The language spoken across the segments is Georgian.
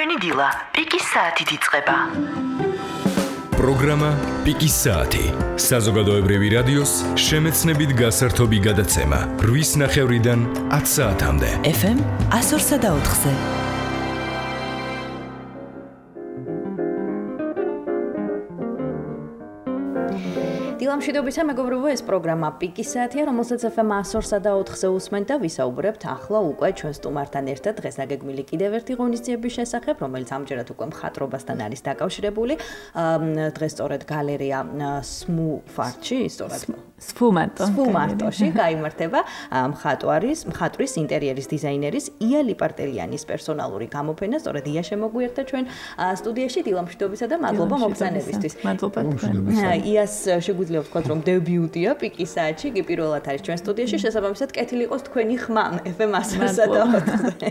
ჩვენი დილა პიკის საათით იწყება. პროგრამა პიკის საათი. საზოგადოებრივი რადიოს შემეცნებით გასართობი გადაცემა 8:30-დან 10 საათამდე. FM 104.4-ზე. დილამშვიდობისა მეგობრებო, ეს პროგრამა პიკის საათია, რომელსაც FM 104.4-ზე უსმენთ და ვისაუბრებთ ახლა უკვე ჩვენ სტუმართან ერთად დღეს დაგეგმილი კიდევ ერთი ღონისძიების შესახებ, რომელიც ამჯერად უკვე მხატვრობასთან არის დაკავშირებული. დღეს სწორედ გალერეა სმუფარტში, სწორედ სფუმარტოში გაიმართება მხატვრის ინტერიერის დიზაინერის ია ლიპარტელიანის პერსონალური გამოფენა. სწორედ ია შემოგვიერთდა ჩვენ სტუდიაში. დილამშვიდობისა და მადლობა მოგზაურობისთვის. მადლობა. იას შეგვიძლია ვთქვათ, რომ დებიუტია პიკის საათში, კი პირველად არის ჩვენ სტუდიაში, შესაბამისად კეთილი იყოს თქვენი ხმა FM 104.4-ზე.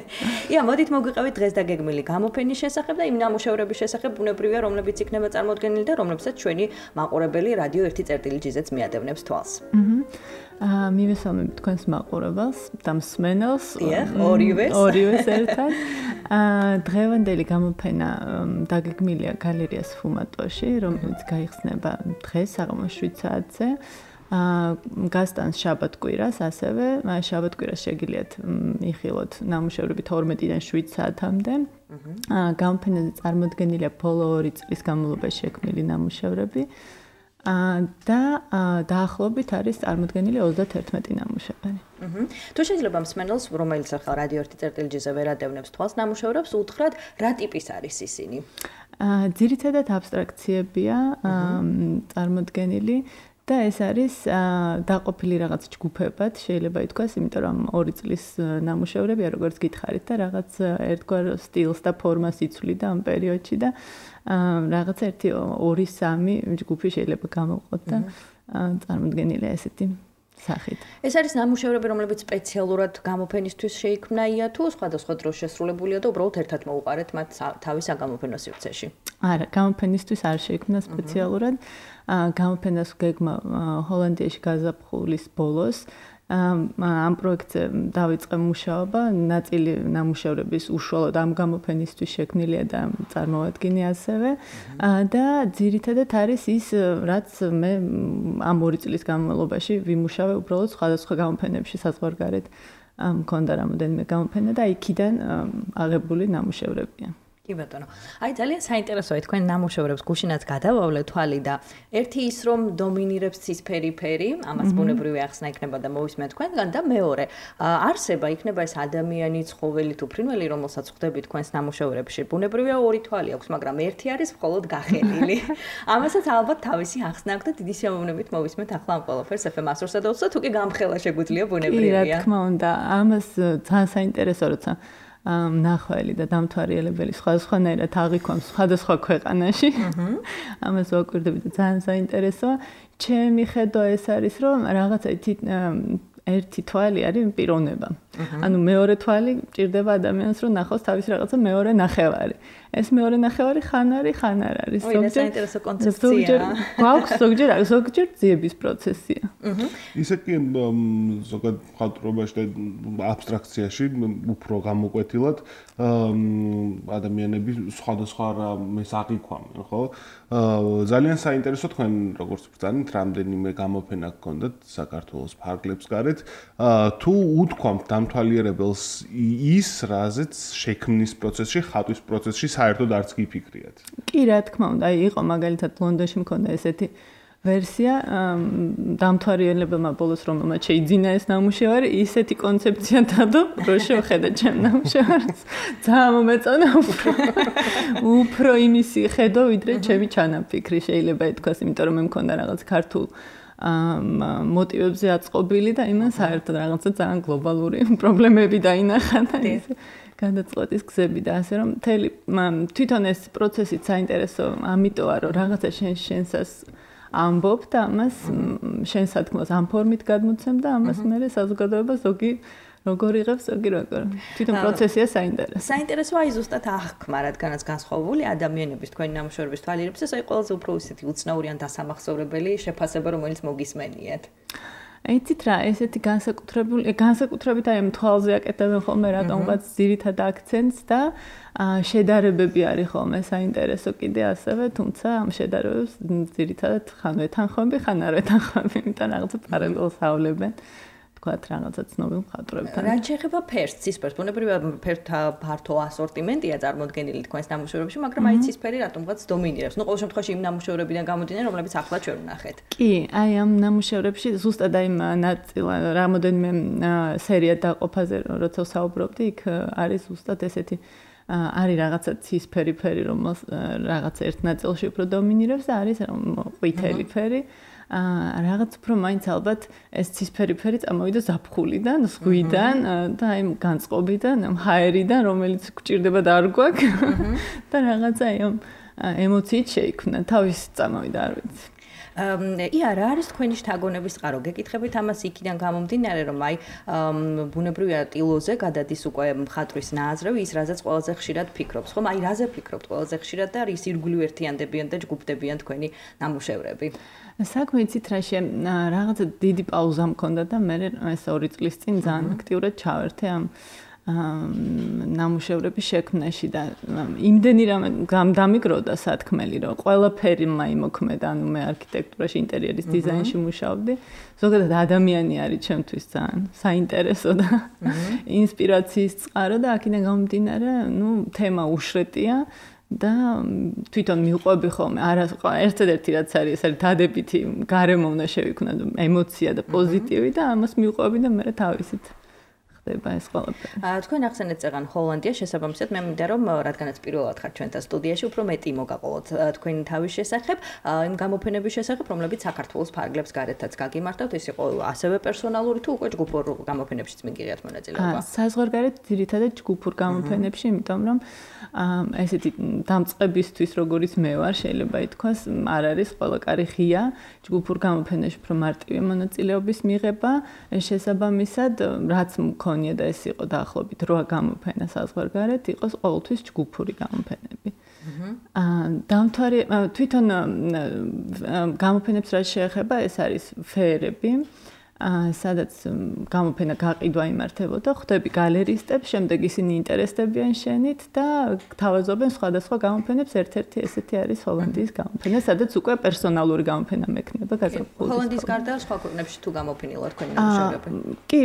ია, მოდით მოგვიყევით დღეს დაგეგმილი გამოფენის შესახებ და იმ ნამუშევრების შესახებ, ბუნებრივია, რომლებიც იქნება წარმოდგენილი და რომლებსაც ჩვენი მაყურებელი რადიო 1.7-ჟ-ზეც მიადევნებს თვალს. მივესალმებით თქვენს მაყურებელს და მსმენელს. ორივეს ერთად. დღევანდელი გამოფენა დაგეგმილია გალერეა სფუმარტოში, რომელიც გაიხსნება დღეს საღამოს 7 საათზე. გასტანს შაბათ-კვირას ასევე. შაბათ-კვირას შეგიძლიათ იხილოთ ნამუშევრები 12-დან 7 საათამდე. გამოფენაზე წარმოდგენილია ბოლო 2 წლის განმავლობაში შექმნილი ნამუშევრები. და დაახლოებით არის წარმოდგენილი 31 ნამუშევარი. თუ შეიძლება მსმენელს, რომელიც ახლა რადიო 1.7-ზე ვერადევნებს თვალს ნამუშევრებს, უთხრათ, რა ტიპის არის ისინი? ძირითადად აბსტრაქციებია წარმოდგენილი და ეს არის დაყოფილი რაღაც ჯგუფებად, შეიძლება ითქვას, იმიტომ რომ 2 წლის ნამუშევრებია, როგორც გითხარით და რაღაც ერთგვარ სტილს და ფორმას იცვლიდა ამ პერიოდში და რაღაც 1-2-3 ჯგუფი შეიძლება გამოვყოთ და წარმოდგენილია ესეთი სახით. ეს არის ნამუშევრები, რომლებიც სპეციალურად გამოფენისთვის შეიქმნა თუ სხვადასხვა დროს შესრულებულია და უბრალოდ ერთად მოუყარეთ მათ თავის საგამოფენო სივრცეში? არა, გამოფენისთვის არ შეიქმნა სპეციალურად. გამოფენას გეგმა ჰოლანდიაში გაზაფხულის ბოლოს. ამ პროექტზე დავიწყე მუშაობა, ნაწილი ნამუშევრების უშუალოდ ამ გამოფენისთვის შექმნილია და წარმოვადგინე ასევე და ძირითადად არის ის, რაც მე ამ 2 წლის განმავლობაში ვიმუშავე უბრალოდ სხვადასხვა გამოფენებში საზღვარგარეთ. მქონდა რამოდენიმე გამოფენა და იქიდან აღებული ნამუშევრებია. კი ბატონო. აი ძალიან საინტერესოა თქვენ ნამუშევრებს გუშინაც გადავავლეთ თვალი და ერთი ის რომ დომინირებს ცისფერი ფერი, ამას ბუნებრივი ახსნა იქნება და მოვისმენთ თქვენგან და მეორე არსება იქნება ეს ადამიანი, ცხოველი თუ ფრინველი, რომელსაც ხვდებით თქვენს ნამუშევრებში. ბუნებრივია ორი თვალი აქვს, მაგრამ ერთი არის მხოლოდ გახელილი. ამასაც ალბათ თავისი ახსნა აქვს და დიდი სიამოვნებით მოვისმენთ ახლა ამ ყველაფერს FM 104.4-ზე თუ კი გამხელა შეგვიძლია ბუნებრივია. კი, რა თქმა უნდა, ამას ძალიან საინტერესო როცა ნახველი და დამთვალიერებელი სხვადასხვანაირად აღიქვამს სხვადასხვა ქვეყანაში. ამას ვაკვირდები და ძალიან საინტერესოა. ჩემი ხედვა ეს არის, რომ რაღაცა ერთი თვალი არის პიროვნება. ანუ მეორე თვალი ჭირდება ადამიანს, რომ ნახოს თავის რაღაცა მეორე ნახევარი. ეს მეორე ნახევარი ხან არის, ხან არ არის. საინტერესო კონცეფცია. ზოგჯერ ძიების პროცესია. ისე კი ზოგადად მხატვრობაში და აბსტრაქციაში უფრო გამოკვეთილად ადამიანები სხვადასხვა რამეს აღიქვამენ, ხო? ძალიან საინტერესო თქვენ როგორც ბრძანით, რამდენიმე გამოფენა გქონდათ საქართველოს ფარგლებს გარეთ. თუ უთქვამთ დამთვალიერებელს ის, რაზეც შექმნის პროცესში, ხატვის პროცესში საერთოდ არც კი ფიქრიათ. კი, რა თქმა უნდა, იყო მაგალითად ლონდონში მქონდა ესეთი ვერსია, დამთვალიერებელმა ბოლოს რომელმაც შეიძინა ეს ნამუშევარი, ისეთი კონცეფცია დადო, რომ შევხედე ჩემ ნამუშევარს. ძალიან მომეწონა უფრო იმისი ხედვა, ვიდრე ჩემი ჩანაფიქრი შეიძლება ითქვას, იმიტომ რომ მე მქონდა რაღაც ქართულ მოტივებზე აწყობილი და იმან საერთოდ რაღაცა ძალიან გლობალური პრობლემები დაინახა და ეს გადაწყვეტის გზები და ასე რომ თვითონ ეს პროცესიც საინტერესო ამიტოა რომ რაღაცა შენსას ამბობ და ამას შენ სათქმელს ამ ფორმით გადმოცემ და ამას მე საზოგადოება ზოგი როგორ იღებს, ზოგი როგორ. თვითონ პროცესია საინტერესო. საინტერესოა ის ზუსტად აღქმა, რადგანაც განსხვავებული ადამიანების თქვენი ნამუშევრების თვალიერებისას აი ყველაზე უფრო ისეთი უცნაური ან დასამახსოვრებელი შეფასება, რომელიც მოგისმენიათ. იცით რა, ესეთი განსაკუთრებით აი მთვალზე აკეთებენ ხოლმე რატომღაც ძირითად აქცენტს და შედარებები არის ხოლმე საინტერესო კიდე ასევე, თუმცა ამ შედარებებს ძირითადად ხან ვეთანხმები, ხან არ ვეთანხმები, იმიტომ რაღაცა პარალელს ავლებენ. თქვათ რაღაცა ცნობილ მხატვრებთან. რაც შეეხება ფერს, ცისფერს, ბუნებრივია ფერთა ფართო ასორტიმენტია წარმოდგენილი თქვენს ნამუშევრებში, მაგრამ აი ცისფერი რატომღაც დომინირებს. ნუ ყოველ შემთხვევაში იმ ნამუშევრებიდან გამომდინარე, რომლებიც ახლა ჩვენ ვნახეთ. კი, აი ამ ნამუშევრებში ზუსტად აი რამოდენიმე სერია დაყოფაზე როცა ვსაუბრობდი, იქ არის ზუსტად ესეთი არის რაღაცა ცისფერი ფერი, რომელიც რაღაც ერთ ნაწილში უფრო დომინირებს და არის ყვითელი ფერი. რაღაც უფრო მაინც ალბათ ეს ცისფერი ფერი წამოვიდა ზაფხულიდან, ზღვიდან და აი განწყობიდან, ჰაერიდან, რომელიც გვჭირდება და არ გვაქვს და რაღაცა აი ემოციით შეიქმნა, თავის წამოვიდა, არ ვიცი. რა არის თქვენი შთაგონების წყარო? გეკითხებით ამას იქიდან გამომდინარე, რომ აი ბუნებრივია ტილოზე გადადის უკვე მხატვრის ნააზრევი, ის რაზეც ყველაზე ხშირად ფიქრობს, ხომ? აი რაზე ფიქრობთ ყველაზე ხშირად და რის ირგვლივ ერთიანდებიან და ჯგუფდებიან თქვენი ნამუშევრები? საქმე იცით რა რაღაცა დიდი პაუზა მქონდა და მე ეს 2 წლის წინ ძალიან აქტიურად ჩავერთე ამ ნამუშევრების შექმნაში და იმდენი რამე დამიგროვდა სათქმელი, რომ ყველაფერი მაიმოქმედა, ანუ მე არქიტექტურაში, ინტერიერის დიზაინში მუშაობდი. ზოგადად ადამიანი არის ჩემთვის ძალიან საინტერესო და ინსპირაციის წყარო და აქედან გამომდინარე, თემა უშრეტია. და თვითონ მიყვები ხოლმე ერთადერთი რაც არის ეს არის დადებითი გარემო უნდა შევიქმნა ემოცია და პოზიტივი და ამას მიყვები და მე თავისით ხდება ეს ყველაფერი. თქვენ ახსენეთ წეგან ჰოლანდია შესაბამისად მე მინდა რომ რადგანაც პირველად ხართ ჩვენთან სტუდიაში უფრო მეტი მოგაყოლოთ თქვენი თავის შესახებ იმ გამოფენების შესახებ რომლებიც საქართველოს ფარგლებს გარეთაც გაგიმართავთ ეს იყო ასევე პერსონალური თუ უკვე ჯგუფურ გამოფენებშიც მიგიღეთ მონაწილეობა. საზღვარგარეთ ძირითადად ჯგუფურ გამოფენებში იმიტომ რომ ესეთი დამწყებისთვის როგორც მე ვარ შეიძლება ითქვას არ არის ყველა კარი ღია ჯგუფურ გამოფენებში უფრო მარტივი მონაწილეობის მიღება შესაბამისად რაც მქონია და ეს იყო დაახლოებით 8 გამოფენა საზღვარგარეთ იყოს ყოველთვის ჯგუფური გამოფენები. დამთვარი თვითონ გამოფენებს რაც შეეხება ეს არის ფეერები სადაც გამოფენა გაყიდვა იმართებოდა, ხვდები გალერისტებს, შემდეგ ისინი ინტერესდებიან შენით და თავაზობენ სხვადასხვა გამოფენებს, ერთ-ერთი ესეთი არის ჰოლანდიის გამოფენა, სადაც უკვე პერსონალური გამოფენა მექნება გაზაფხულში. ჰოლანდიის გარდა სხვა ქვეყნებში თუ გამოფენილა თქვენი ნამუშევრები? კი,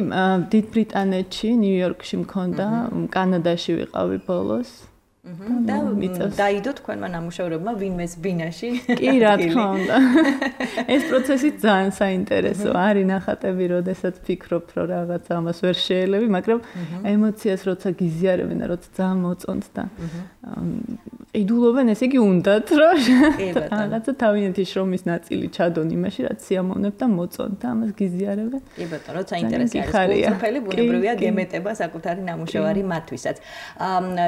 დიდ ბრიტანეთში, ნიუ-იორკში მქონდა, კანადაში ვიყავი ბოლოს. და დაიდო თქვენმა ნამუშევრებმა ვინმეს ბინაში? კი, რა თქმა უნდა. ეს პროცესი ძალიან საინტერესო არის ნახატები, როდესაც ფიქრობ, რომ რაღაც ამას ვერ შეელევი, მაგრამ ემოციას როცა გიზიარებენ და როცა ძალიან მოწონთ და ყიდულობენ, ესე იგი უნდათ, რომ რაღაცა თავიანთი შრომის ნაწილი ჩადონ იმაში, რაც სიამოვნებ და მოწონთ და ამას გიზიარებენ. კი ბატონო, როცა ინტერესი არის გულწრფელი, ბუნებრივია გემეტება საკუთარი ნამუშევარი მათთვისაც.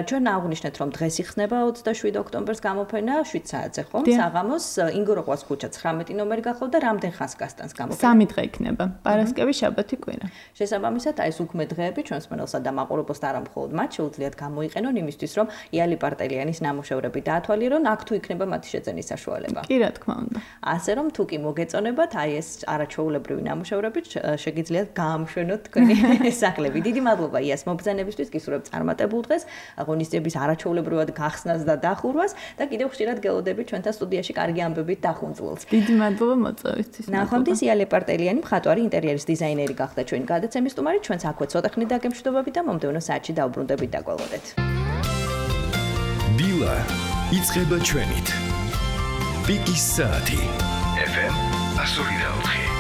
ჩვენ აღვნიშნეთ რომ დღეს იხსნება 27 ოქტომბერს გამოფენა 7 საათზე ხომ? საღამოს ინგოროყვას ქუჩა 19 ნომერი გახლავთ და რამდენ ხანს გასტანს გამოფენა? 3 დღე იქნება. პარასკევი, შაბათი, კვირა. შესაბამისად, აი ეს უქმე დღეები ჩვენს მენელსა და მაყურებელს და არა მხოლოდ მათ შეუძლიათ გამოიყენონ იმისთვის, რომ იალი პარტელიანის ნამუშევრები დაათვალიერონ, აქ თუ იქნება მათი შეძენის საშუალება. კი, რა თქმა უნდა. ასე რომ თუ კი მოგეწონებათ, აი ეს არაჩვეულებრივი ნამუშევრები შეგიძლიათ გაამშვენოთ თქვენი სახლები. დიდი მადლობა იას მობრძანებისთვის, გისურვებთ წარმატებულ დღეს, ღონისძიების არაჩვეულებრივად გახსნას და დახურვას და კიდევ ხშირად გელოდებით ჩვენთან სტუდიაში კარგი ამბებით დახუნწულს. დიდი მადლობა მოწვევისთვის. ნახვამდის იალე პარტელიანი მხატვარი ინტერიერის დიზაინერი გახდა ჩვენი გადაცემის სტუმარი, ჩვენც აქვე ცოტა ხნით დაგემშვიდობებით და მომდევნო საათში დაუბრუნდებით და გველოდეთ. დილა იწყება ჩვენით. პიკის საათი FM 104.